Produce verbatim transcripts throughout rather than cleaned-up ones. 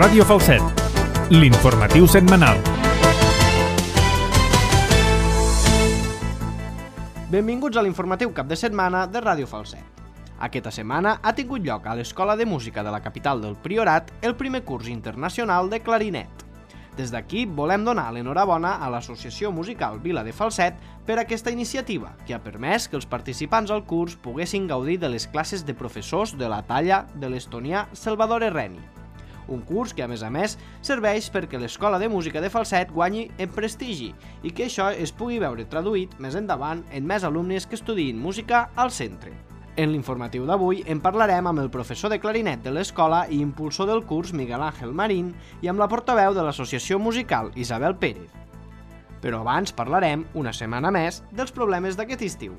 Ràdio Falset, l'informatiu setmanal. Benvinguts a l'informatiu cap de setmana de Ràdio Falset. Aquesta setmana ha tingut lloc a l'Escola de Música de la capital del Priorat el primer curs internacional de clarinet. Des d'aquí volem donar l'enhorabona a l'Associació Musical Vila de Falset per aquesta iniciativa, que ha permès que els participants al curs poguessin gaudir de les classes de professors de la talla de l'estonià Salvador Erreni. Un curs que, a més a més, serveix perquè l'Escola de Música de Falset guanyi en prestigi i que això es pugui veure traduït més endavant en més alumnes que estudiïn música al centre. En l'informatiu d'avui en parlarem amb el professor de clarinet de l'escola i impulsor del curs Miguel Ángel Marín i amb la portaveu de l'Associació Musical Isabel Pérez. Però abans parlarem, una setmana més, dels problemes d'aquest estiu.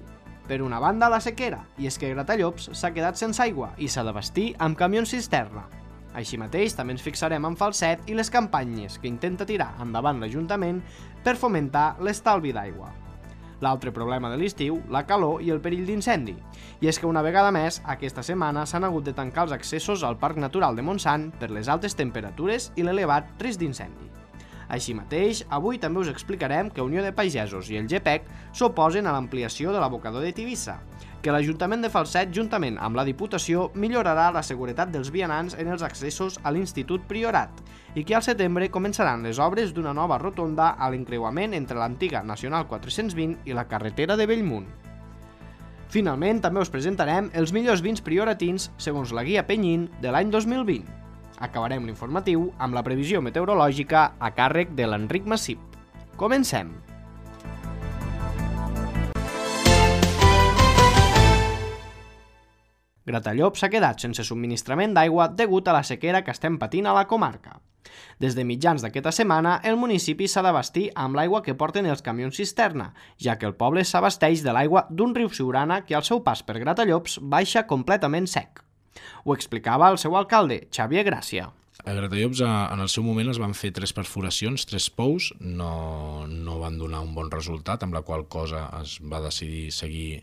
Per una banda, la sequera, i és que Gratallops s'ha quedat sense aigua i s'ha d'abastir amb camions cisterna. Així mateix, també ens fixarem en Falset i les campanyes que intenta tirar endavant l'Ajuntament per fomentar l'estalvi d'aigua. L'altre problema de l'estiu, la calor i el perill d'incendi. I és que una vegada més, aquesta setmana s'han hagut de tancar els accessos al Parc Natural de Montsant per les altes temperatures i l'elevat risc d'incendi. Així mateix, avui també us explicarem que Unió de Pagesos i el G P E C s'oposen a l'ampliació de l'abocador de Tivissa, que l'Ajuntament de Falset, juntament amb la Diputació, millorarà la seguretat dels vianants en els accessos a l'Institut Priorat i que al setembre començaran les obres d'una nova rotonda a l'encreuament entre l'antiga Nacional quatre-cents vint i la carretera de Bellmunt. Finalment, també us presentarem els millors vins prioratins segons la guia Penyín de l'any dos mil vint. Acabarem l'informatiu amb la previsió meteorològica a càrrec de l'Enric Massip. Comencem! Gratallops s'ha quedat sense subministrament d'aigua degut a la sequera que estem patint a la comarca. Des de mitjans d'aquesta setmana, el municipi s'ha d'abastir amb l'aigua que porten els camions cisterna, ja que el poble s'abasteix de l'aigua d'un riu Siurana que al seu pas per Gratallops baixa completament sec. Ho explicava el seu alcalde, Xavier Gràcia. A Gratallops en el seu moment es van fer tres perforacions, tres pous, no, no van donar un bon resultat, amb la qual cosa es va decidir seguir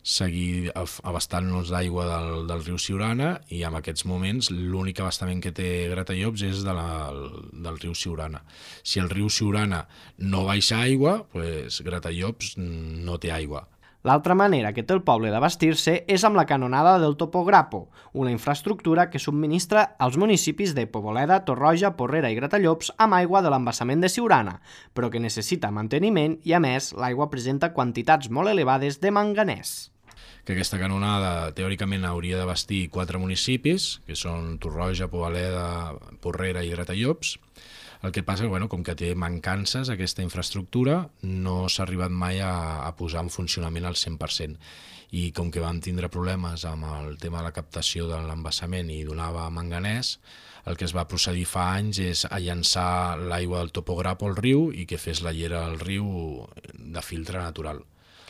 seguir abastant-nos d'aigua del, del riu Siurana i en aquests moments l'únic abastament que té Gratallops és de la, del riu Siurana. Si el riu Siurana no baixa aigua, pues Gratallops no té aigua. L'altra manera que té el poble d'abastir-se és amb la canonada del Topograpo, una infraestructura que subministra als municipis de Poboleda, Torroja, Porrera i Gratallops amb aigua de l'embassament de Siurana, però que necessita manteniment i, a més, l'aigua presenta quantitats molt elevades de manganès. Que aquesta canonada teòricament hauria d'abastir quatre municipis, que són Torroja, Poboleda, Porrera i Gratallops. El que passa, bueno, com que té mancances aquesta infraestructura, no s'ha arribat mai a, a posar en funcionament al cent per cent. I com que vam tindre problemes amb el tema de la captació de l'embassament i donava manganès, el que es va procedir fa anys és a llançar l'aigua del Topograpo al riu i que fes la llera al riu de filtre natural.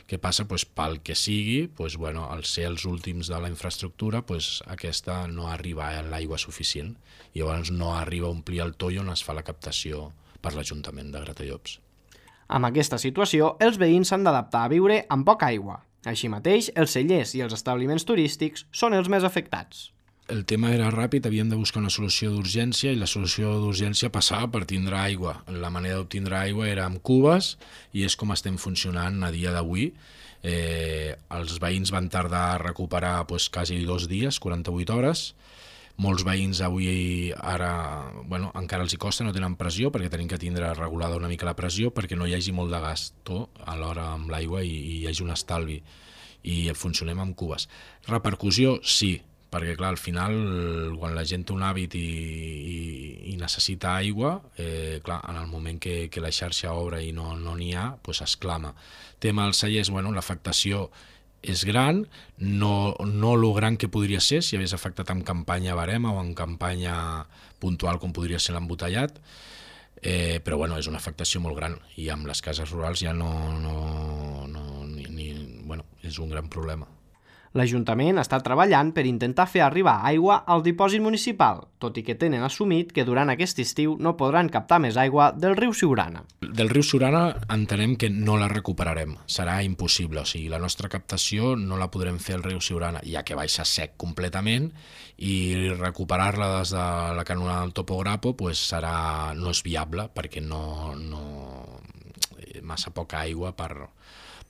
Què passa? Pues, pel que sigui, pues, bueno, al ser els últims de la infraestructura, pues, aquesta no arriba a l'aigua suficient i llavors no arriba a omplir el toll on es fa la captació per l'Ajuntament de Gratallops. Amb aquesta situació, els veïns s'han d'adaptar a viure amb poca aigua. Així mateix, els cellers i els establiments turístics són els més afectats. El tema era ràpid, havíem de buscar una solució d'urgència i la solució d'urgència passava per tindre aigua. La manera d'obtindre aigua era amb cubes i és com estem funcionant a dia d'avui. Eh, els veïns van tardar a recuperar pues, quasi dos dies, quaranta-vuit hores. Molts veïns avui ara bueno, encara els hi costa, no tenen pressió perquè tenim que tindre regulada una mica la pressió perquè no hi hagi molt de gasto alhora amb l'aigua i, i hi hagi un estalvi i funcionem amb cubes. Repercussió, sí, perquè clar, al final quan la gent té un hàbit i, i, i necessita aigua, eh, clar, en el moment que, que la xarxa obre i no n'hi no ha, pues exclama. Tema dels cellers, bueno, l'afectació és gran, no, no lo gran que podria ser si hagués afectat en campanya barema o en campanya puntual com podria ser l'embotellat, eh, però bueno, és una afectació molt gran i amb les cases rurals ja no, no, no ni, ni, bueno, és un gran problema. L'Ajuntament està treballant per intentar fer arribar aigua al dipòsit municipal, tot i que tenen assumit que durant aquest estiu no podran captar més aigua del riu Siurana. Del riu Siurana entenem que no la recuperarem, serà impossible, o sigui, la nostra captació no la podrem fer al riu Siurana, ja que baixa sec completament, i recuperar-la des de la canonada del Topograpo pues, serà, no és viable, perquè no, no massa poca aigua per...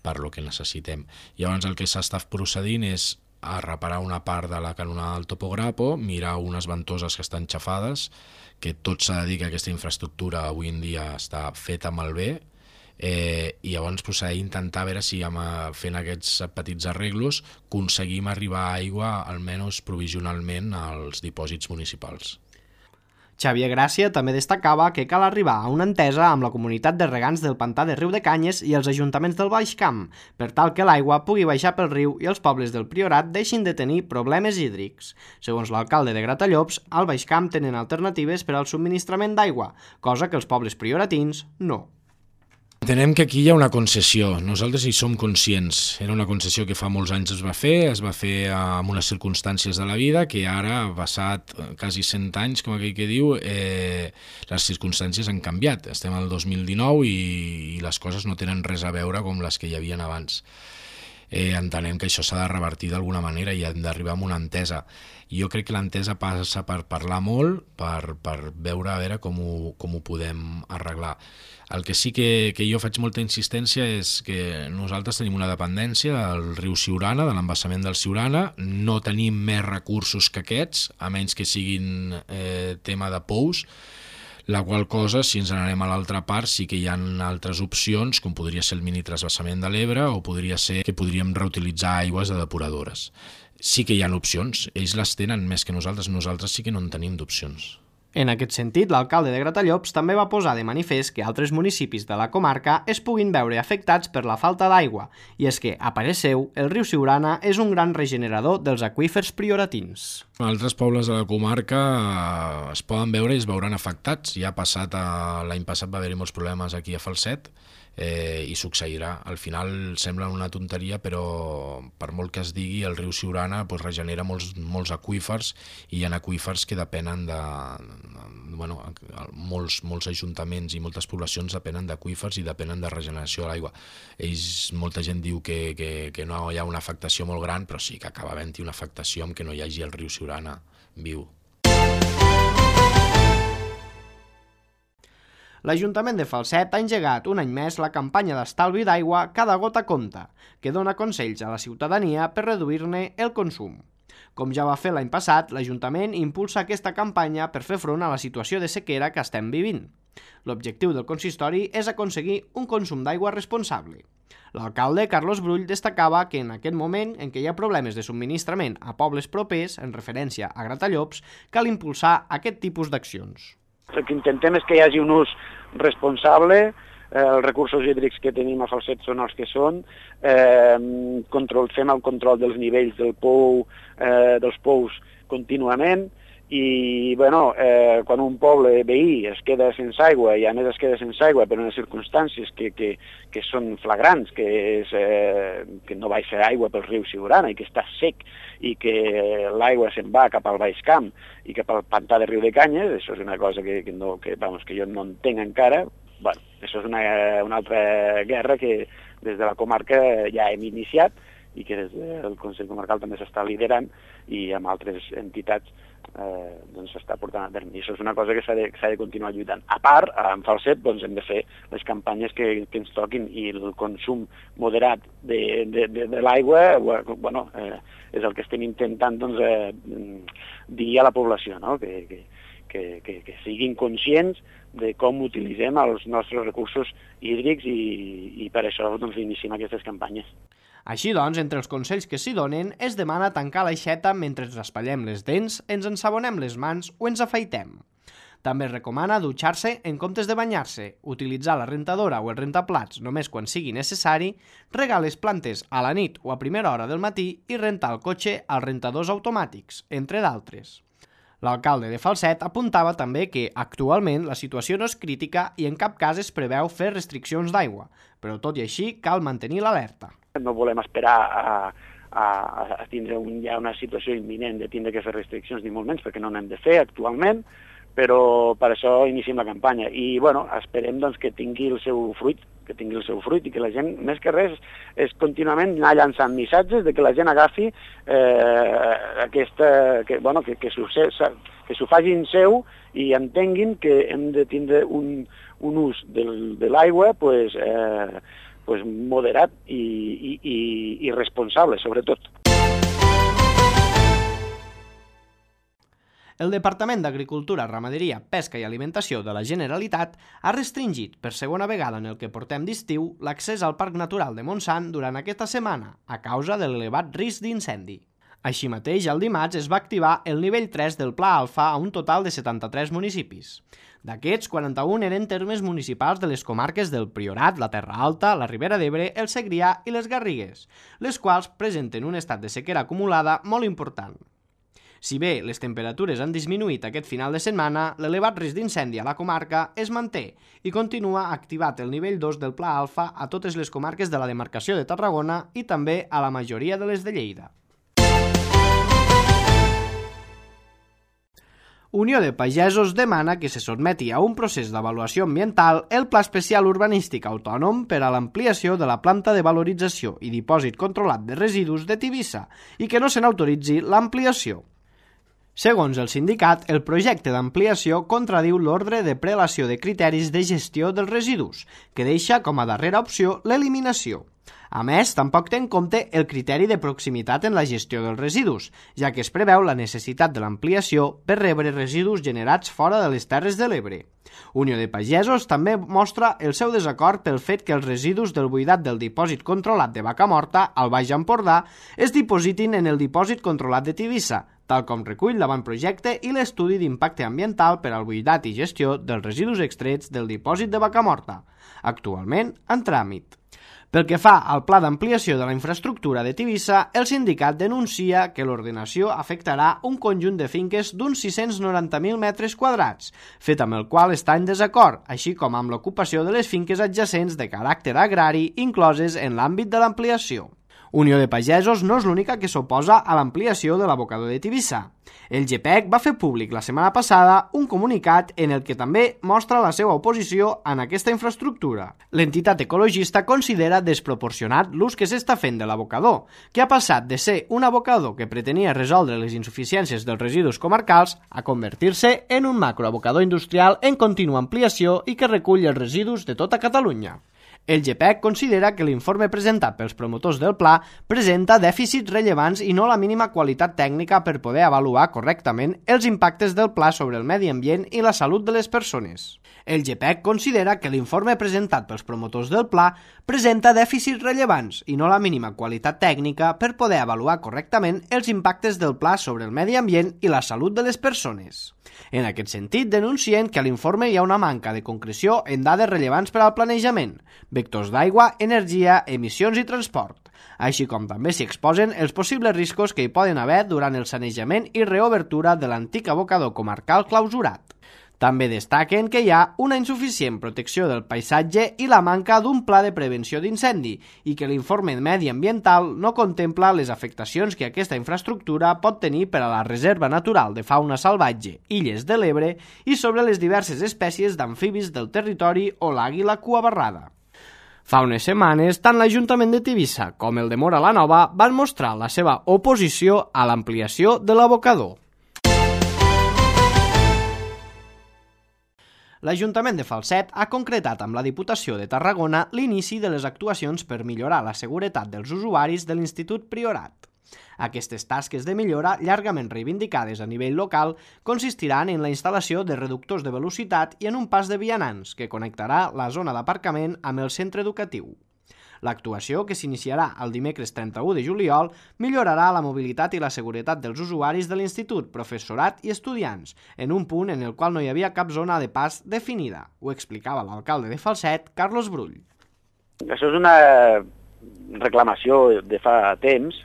per lo que necessitem. Llavors el que s'està procedint és a reparar una part de la canonada del Topograpo, mirar unes ventoses que estan xafades, que tot s'ha de dir que aquesta infraestructura avui en dia està feta malbé, eh, i llavors pues, intentar veure si amb, fent aquests petits arreglos aconseguim arribar a aigua almenys provisionalment als dipòsits municipals. Xavier Gràcia també destacava que cal arribar a una entesa amb la comunitat de regants del pantà de Riu de Canyes i els ajuntaments del Baix Camp, per tal que l'aigua pugui baixar pel riu i els pobles del Priorat deixin de tenir problemes hídrics. Segons l'alcalde de Gratallops, al Baix Camp tenen alternatives per al subministrament d'aigua, cosa que els pobles prioratins no. Entenem que aquí hi ha una concessió, nosaltres hi som conscients. Era una concessió que fa molts anys es va fer, es va fer amb unes circumstàncies de la vida que ara, passat quasi cent anys, com aquell que diu, eh, les circumstàncies han canviat. Estem al dos mil dinou i, i les coses no tenen res a veure com les que hi havien abans. Eh, entenem que això s'ha de revertir d'alguna manera i hem d'arribar a una entesa. Jo crec que l'entesa passa per parlar molt, per, per veure a veure com ho, com ho podem arreglar. El que sí que, que jo faig molta insistència és que nosaltres tenim una dependència del riu Siurana, de l'embassament del Siurana, no tenim més recursos que aquests, a menys que siguin eh, tema de pous, la qual cosa, si ens n'anem a l'altra part, sí que hi ha altres opcions, com podria ser el mini trasbassament de l'Ebre o podria ser que podríem reutilitzar aigües de depuradores. Sí que hi ha opcions, ells les tenen més que nosaltres, nosaltres sí que no en tenim d'opcions. En aquest sentit, l'alcalde de Gratallops també va posar de manifest que altres municipis de la comarca es puguin veure afectats per la falta d'aigua, i és que, a parer seu, el riu Siurana és un gran regenerador dels aqüífers prioratins. Altres pobles de la comarca es poden veure i es veuran afectats. Ja ha passat, l'any passat va haver-hi molts problemes aquí a Falset, eh, i succeirà. Al final sembla una tonteria, però per molt que es digui, el riu Siurana pues, regenera molts, molts aqüífers i hi ha aqüífers que depenen de... Bueno, molts, molts ajuntaments i moltes poblacions depenen d'aqüífers i depenen de regeneració de l'aigua. Ells, molta gent diu que, que, que no hi ha una afectació molt gran, però sí que acaba havent-hi una afectació amb que no hi hagi el riu Siurana viu. L'Ajuntament de Falset ha engegat un any més la campanya d'estalvi d'aigua Cada gota compta, que dona consells a la ciutadania per reduir-ne el consum. Com ja va fer l'any passat, l'Ajuntament impulsa aquesta campanya per fer front a la situació de sequera que estem vivint. L'objectiu del consistori és aconseguir un consum d'aigua responsable. L'alcalde Carlos Brull destacava que en aquest moment en què hi ha problemes de subministrament a pobles propers, en referència a Gratallops, cal impulsar aquest tipus d'accions. El que intentem és que hi hagi un ús responsable, eh, els recursos hídrics que tenim a Falset són els que són, eh, control, fem el control dels nivells del pou, eh, dels pous contínuament, i bueno, eh, quan un poble veí es queda sense aigua i a més es queda sense aigua per unes circumstàncies que, que, que són flagrants, que, és, eh, que no baixa aigua pel riu Siurana i que està sec i que l'aigua se'n va cap al Baix Camp i cap al pantà de Riu de Canyes, això és una cosa que, que, no, que, vamos, que jo no entenc encara. Bueno, això és una, una altra guerra que des de la comarca ja hem iniciat i que des del Consell Comarcal també s'està liderant i amb altres entitats eh, doncs s'està portant a terme. I això és una cosa que s'ha de, de continuar lluitant. A part, en Falset doncs, hem de fer les campanyes que, que ens toquin i el consum moderat de, de, de, de l'aigua bueno, eh, és el que estem intentant doncs, eh, dir a la població, no? que, que, que, que, que siguin conscients de com utilitzem els nostres recursos hídrics i, i per això doncs, iniciem aquestes campanyes. Així doncs, entre els consells que s'hi donen, es demana tancar l'aixeta mentre ens raspallem les dents, ens ensabonem les mans o ens afaitem. També es recomana dutxar-se en comptes de banyar-se, utilitzar la rentadora o el rentaplats només quan sigui necessari, regar les plantes a la nit o a primera hora del matí i rentar el cotxe als rentadors automàtics, entre d'altres. L'alcalde de Falset apuntava també que actualment la situació no és crítica i en cap cas es preveu fer restriccions d'aigua, però tot i així cal mantenir l'alerta. No volem esperar a, a, a tindre un, ja una situació imminent de tindre que fer restriccions, ni molt menys, perquè no n'hem de fer actualment, però per això iniciem la campanya. I, bueno, esperem doncs, que tingui el seu fruit, que tingui el seu fruit i que la gent, més que res, és contínuament anar llançant missatges de que la gent agafi eh, aquesta... que, bueno, que, que s'ho que s'ho facin seu i entenguin que hem de tindre un, un ús del, de l'aigua pues, eh, pues moderat i, i, i, i responsable, sobretot. El Departament d'Agricultura, Ramaderia, Pesca i Alimentació de la Generalitat ha restringit per segona vegada en el que portem d'estiu l'accés al Parc Natural de Montsant durant aquesta setmana a causa de l'elevat risc d'incendi. Així mateix, el dimarts es va activar el nivell tres del Pla Alfa a un total de setanta-tres municipis. D'aquests, quaranta-un eren termes municipals de les comarques del Priorat, la Terra Alta, la Ribera d'Ebre, el Segrià i les Garrigues, les quals presenten un estat de sequera acumulada molt important. Si bé les temperatures han disminuït aquest final de setmana, l'elevat risc d'incendi a la comarca es manté i continua activat el nivell dos del Pla Alfa a totes les comarques de la demarcació de Tarragona i també a la majoria de les de Lleida. Unió de Pagesos demana que se sotmeti a un procés d'avaluació ambiental el Pla Especial Urbanístic Autònom per a l'ampliació de la planta de valorització i dipòsit controlat de residus de Tivissa i que no se n'autoritzi l'ampliació. Segons el sindicat, el projecte d'ampliació contradiu l'ordre de prelació de criteris de gestió dels residus, que deixa com a darrera opció l'eliminació. A més, tampoc té en compte el criteri de proximitat en la gestió dels residus, ja que es preveu la necessitat de l'ampliació per rebre residus generats fora de les Terres de l'Ebre. Unió de Pagesos també mostra el seu desacord pel fet que els residus del buidat del dipòsit controlat de Vacamorta, al Baix Empordà, es dipositin en el dipòsit controlat de Tivissa, tal com recull l'avantprojecte i l'estudi d'impacte ambiental per al buidat i gestió dels residus extrets del dipòsit de Vacamorta, actualment en tràmit. Pel que fa al pla d'ampliació de la infraestructura de Tivissa, el sindicat denuncia que l'ordenació afectarà un conjunt de finques d'uns sis-cents noranta mil metres quadrats, fet amb el qual està en desacord, així com amb l'ocupació de les finques adjacents de caràcter agrari incloses en l'àmbit de l'ampliació. Unió de Pagesos no és l'única que s'oposa a l'ampliació de l'abocador de Tivissa. El G P E C va fer públic la setmana passada un comunicat en el que també mostra la seva oposició en aquesta infraestructura. L'entitat ecologista considera desproporcionat l'ús que s'està fent de l'abocador, que ha passat de ser un abocador que pretenia resoldre les insuficiències dels residus comarcals a convertir-se en un macroabocador industrial en contínua ampliació i que recull els residus de tota Catalunya. El G P E C considera que l'informe presentat pels promotors del pla presenta dèficits rellevants i no la mínima qualitat tècnica per poder avaluar correctament els impactes del pla sobre el medi ambient i la salut de les persones. El G P E C considera que l'informe presentat pels promotors del pla presenta dèficits rellevants i no la mínima qualitat tècnica per poder avaluar correctament els impactes del pla sobre el medi ambient i la salut de les persones. En aquest sentit, denuncien que a l'informe hi ha una manca de concreció en dades rellevants per al planejament, vectors d'aigua, energia, emissions i transport, així com també s'hi exposen els possibles riscos que hi poden haver durant el sanejament i reobertura de l'antic abocador comarcal clausurat. També destaquen que hi ha una insuficient protecció del paisatge i la manca d'un pla de prevenció d'incendi i que l'informe mediambiental no contempla les afectacions que aquesta infraestructura pot tenir per a la Reserva Natural de Fauna Salvatge Illes de l'Ebre i sobre les diverses espècies d'amfibis del territori o l'àguila cuabarrada. Fa unes setmanes, tant l'Ajuntament de Tivissa com el de Móra la Nova van mostrar la seva oposició a l'ampliació de l'abocador. L'Ajuntament de Falset ha concretat amb la Diputació de Tarragona l'inici de les actuacions per millorar la seguretat dels usuaris de l'Institut Priorat. Aquestes tasques de millora, llargament reivindicades a nivell local, consistiran en la instal·lació de reductors de velocitat i en un pas de vianants que connectarà la zona d'aparcament amb el centre educatiu. L'actuació, que s'iniciarà el dimecres trenta-u de juliol, millorarà la mobilitat i la seguretat dels usuaris de l'institut, professorat i estudiants, en un punt en el qual no hi havia cap zona de pas definida. Ho explicava l'alcalde de Falset, Carlos Brull. Això és una reclamació de fa temps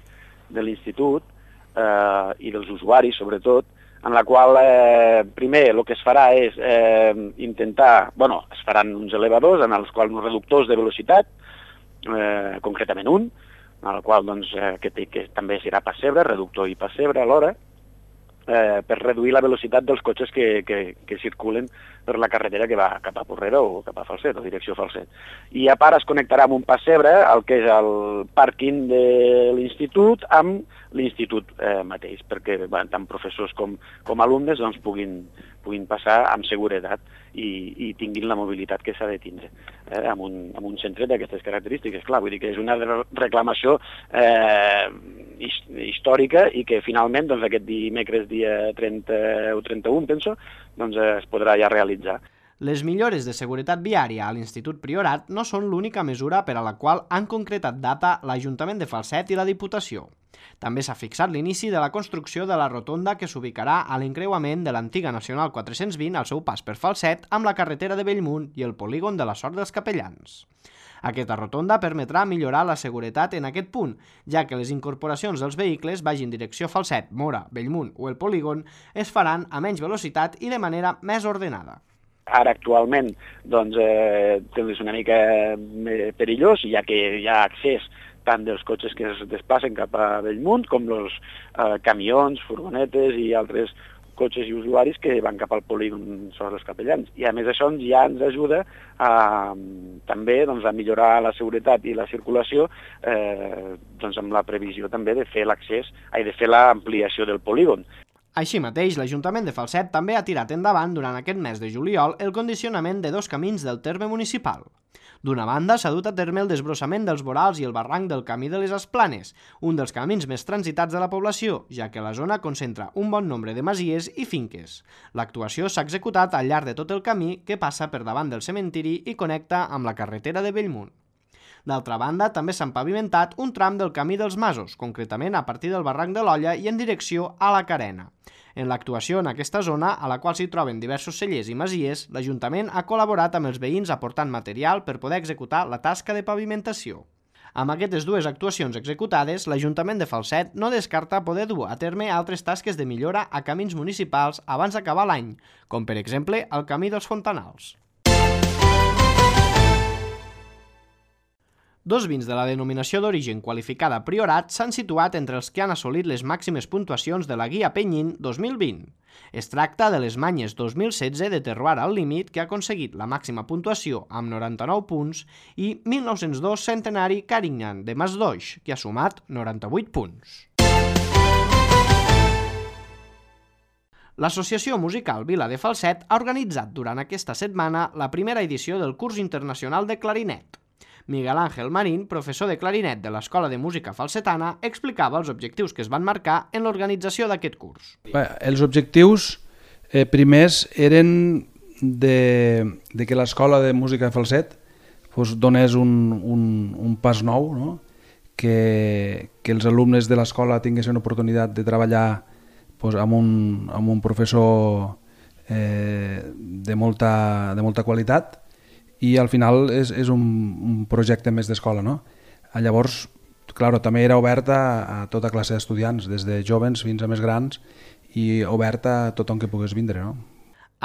de l'institut eh, i dels usuaris, sobretot, en la qual, eh, primer, el que es farà és eh, intentar... bueno, es faran uns elevadors en els quals uns reductors de velocitat, Eh, concretament un, en el qual doncs, eh, que, té, que també serà pessebre, reductor i pessebre alhora, eh, per reduir la velocitat dels cotxes que, que, que circulen per la carretera que va cap a Porrera o cap a Falset, o direcció Falset. I a part es connectarà amb un pessebre, el que és el pàrquing de l'institut, amb l'institut eh, mateix, perquè bueno, tant professors com, com alumnes doncs, puguin, puguin passar amb seguretat i, i tinguin la mobilitat que s'ha de tindre eh, amb, un, amb un centre d'aquestes característiques. Clar, vull dir que és una reclamació eh, històrica i que finalment doncs, aquest dimecres dia trenta o trenta-u, penso, doncs, es podrà ja realitzar. Les millores de seguretat viària a l'Institut Priorat no són l'única mesura per a la qual han concretat data l'Ajuntament de Falset i la Diputació. També s'ha fixat l'inici de la construcció de la rotonda que s'ubicarà a l'encreuament de l'antiga Nacional quatre-cents vint al seu pas per Falset amb la carretera de Bellmunt i el polígon de la Sort dels Capellans. Aquesta rotonda permetrà millorar la seguretat en aquest punt, ja que les incorporacions dels vehicles vagin direcció Falset, Móra, Bellmunt o el polígon es faran a menys velocitat i de manera més ordenada. Ara actualment doncs, eh, és una mica perillós, ja que hi ha accés tant dels cotxes que es desplacen cap a Bellmunt com els eh, camions, furgonetes i altres cotxes i usuaris que van cap al polígon sobre els Capellans. I a més això ja ens ajuda a, també doncs, a millorar la seguretat i la circulació eh, doncs, amb la previsió també de fer l'accés, ai, de fer l'ampliació del polígon. Així mateix, l'Ajuntament de Falset també ha tirat endavant durant aquest mes de juliol el condicionament de dos camins del terme municipal. D'una banda, s'ha dut a terme el desbrossament dels vorals i el barranc del Camí de les Esplanes, un dels camins més transitats de la població, ja que la zona concentra un bon nombre de masies i finques. L'actuació s'ha executat al llarg de tot el camí que passa per davant del cementiri i connecta amb la carretera de Bellmunt. D'altra banda, també s'ha pavimentat un tram del Camí dels Masos, concretament a partir del barranc de l'Olla i en direcció a la Carena. En l'actuació en aquesta zona, a la qual s'hi troben diversos cellers i masies, l'Ajuntament ha col·laborat amb els veïns aportant material per poder executar la tasca de pavimentació. Amb aquestes dues actuacions executades, l'Ajuntament de Falset no descarta poder dur a terme altres tasques de millora a camins municipals abans d'acabar l'any, com per exemple el Camí dels Fontanals. Dos vins de la denominació d'origen qualificada Priorat s'han situat entre els que han assolit les màximes puntuacions de la Guia Penyín dos mil vint. Es tracta de les Manyes dos mil setze de Terroir al Límit, que ha aconseguit la màxima puntuació amb noranta-nou punts, i mil nou-cents dos Centenari Carignan de Masdoix, que ha sumat noranta-vuit punts. L'Associació Musical Vila de Falset ha organitzat durant aquesta setmana la primera edició del curs internacional de clarinet. Miguel Ángel Marín, professor de clarinet de l'Escola de Música Falsetana, explicava els objectius que es van marcar en l'organització d'aquest curs. Bé, els objectius eh, primers eren de, de que l'Escola de Música de Falset pues, donés un, un, un pas nou, no? que, que els alumnes de l'escola tinguessin oportunitat de treballar pues, amb, un, amb un professor eh, de, molta, de molta qualitat, i al final és, és un, un projecte més d'escola, no? Llavors, clar, també era obert a, a tota classe d'estudiants, des de jovens fins a més grans, i obert a tothom que pogués vindre, no?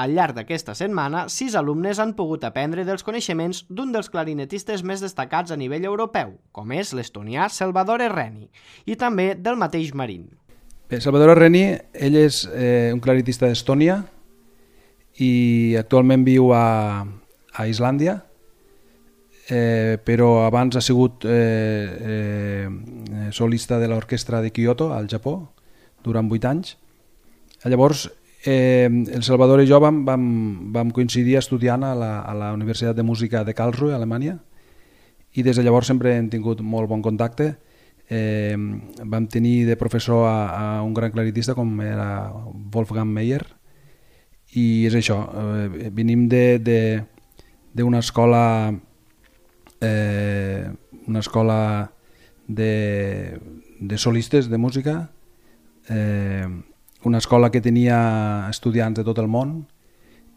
Al llarg d'aquesta setmana, sis alumnes han pogut aprendre dels coneixements d'un dels clarinetistes més destacats a nivell europeu, com és l'estonià Salvador Reni, i també del mateix Marín. Bé, Salvador Reni, ell és eh, un clarinetista d'Estònia i actualment viu a a Islàndia, eh, però abans ha sigut eh, eh, solista de l'orquestra de Kyoto, al Japó, durant vuit anys. Llavors, eh, el Salvador i jo vam, vam, vam coincidir estudiant a la, a la Universitat de Música de Karlsruhe, a Alemanya, i des de llavors sempre hem tingut molt bon contacte. Eh, vam tenir de professor a, a un gran clarinetista com era Wolfgang Meyer, i és això, eh, venim de... de d'una escola eh, una escola de, de solistes de música, eh, una escola que tenia estudiants de tot el món,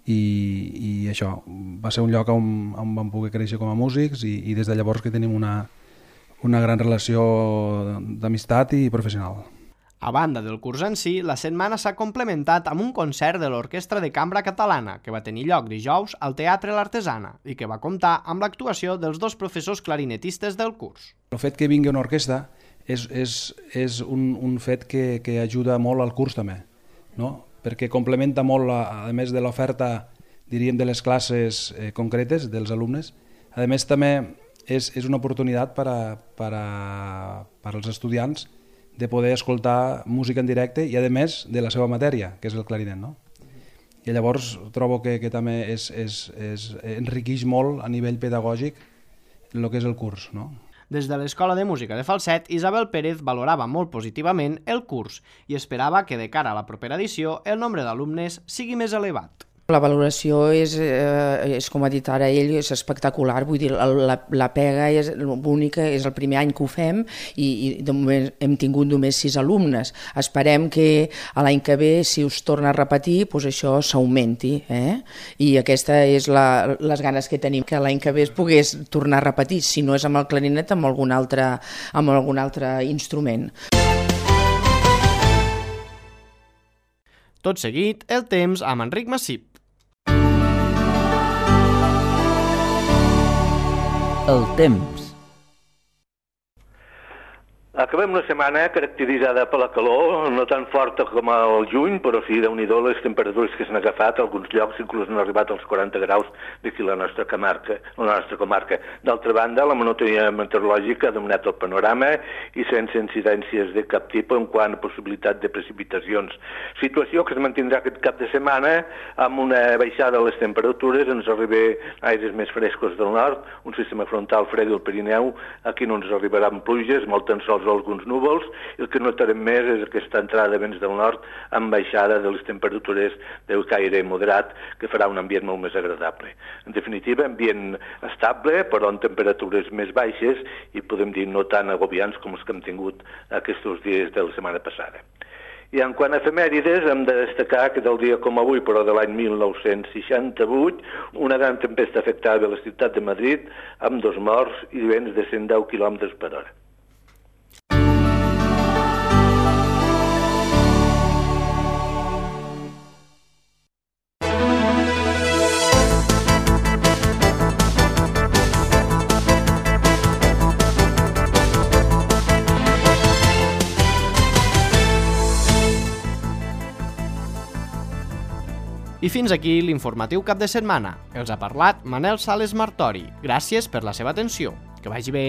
i, i això va ser un lloc on, on vam poder créixer com a músics, i, i des de llavors que tenim una, una gran relació d'amistat i professional. A banda del curs en si, la setmana s'ha complementat amb un concert de l'Orquestra de Cambra Catalana que va tenir lloc dijous al Teatre l'Artesana i que va comptar amb l'actuació dels dos professors clarinetistes del curs. El fet que vingui una orquestra és, és, és un, un fet que, que ajuda molt al curs també, no? Perquè complementa molt, a, a més de l'oferta, diríem, de les classes eh, concretes dels alumnes. A més, també és, és una oportunitat per, a, per, a, per als estudiants de poder escoltar música en directe i, a més, de la seva matèria, que és el clarinet, no? I llavors trobo que, que també és, és, és, enriqueix molt a nivell pedagògic el que és el curs, no? Des de l'Escola de Música de Falset, Isabel Pérez valorava molt positivament el curs i esperava que de cara a la propera edició el nombre d'alumnes sigui més elevat. La valoració és, eh, és, com ha dit ara ell, és espectacular. Vull dir, la, la pega és única, és el primer any que ho fem i, i de moment hem tingut només sis alumnes. Esperem que a l'any que ve, si us torna a repetir, doncs això s'augmenti. Eh? I aquesta és la, les ganes que tenim, que l'any que ve es pogués tornar a repetir, si no és amb el clarinet, amb algun altre, amb algun altre instrument. Tot seguit, el temps amb Enric Massip. El temps. Acabem una setmana caracteritzada per la calor, no tan forta com al juny, però sí, déu-n'hi-do les temperatures que s'han agafat, alguns llocs inclús han arribat als quaranta graus d'aquí la nostra comarca. La nostra comarca. D'altra banda, la monotonia meteorològica ha dominat el panorama i sense incidències de cap tipus en quant a possibilitat de precipitacions. Situació que es mantindrà aquest cap de setmana amb una baixada de les temperatures, ens arriba aires més frescos del nord, un sistema frontal fred del Pirineu, aquí no ens arribaran pluges, molt tan sols alguns núvols, i el que notarem més és aquesta entrada de vents del nord amb baixada de les temperatures de caire moderat, que farà un ambient molt més agradable. En definitiva, ambient estable, però amb temperatures més baixes i podem dir no tan agobiants com els que hem tingut aquests dies de la setmana passada. I en quant a efemèrides, hem de destacar que del dia com avui, però de l'any mil nou-cents seixanta-vuit, una gran tempesta afectava la ciutat de Madrid amb dos morts i vents de cent deu quilòmetres per hora. I fins aquí l'informatiu cap de setmana. Els ha parlat Manel Sales Martori. Gràcies per la seva atenció. Que vagi bé.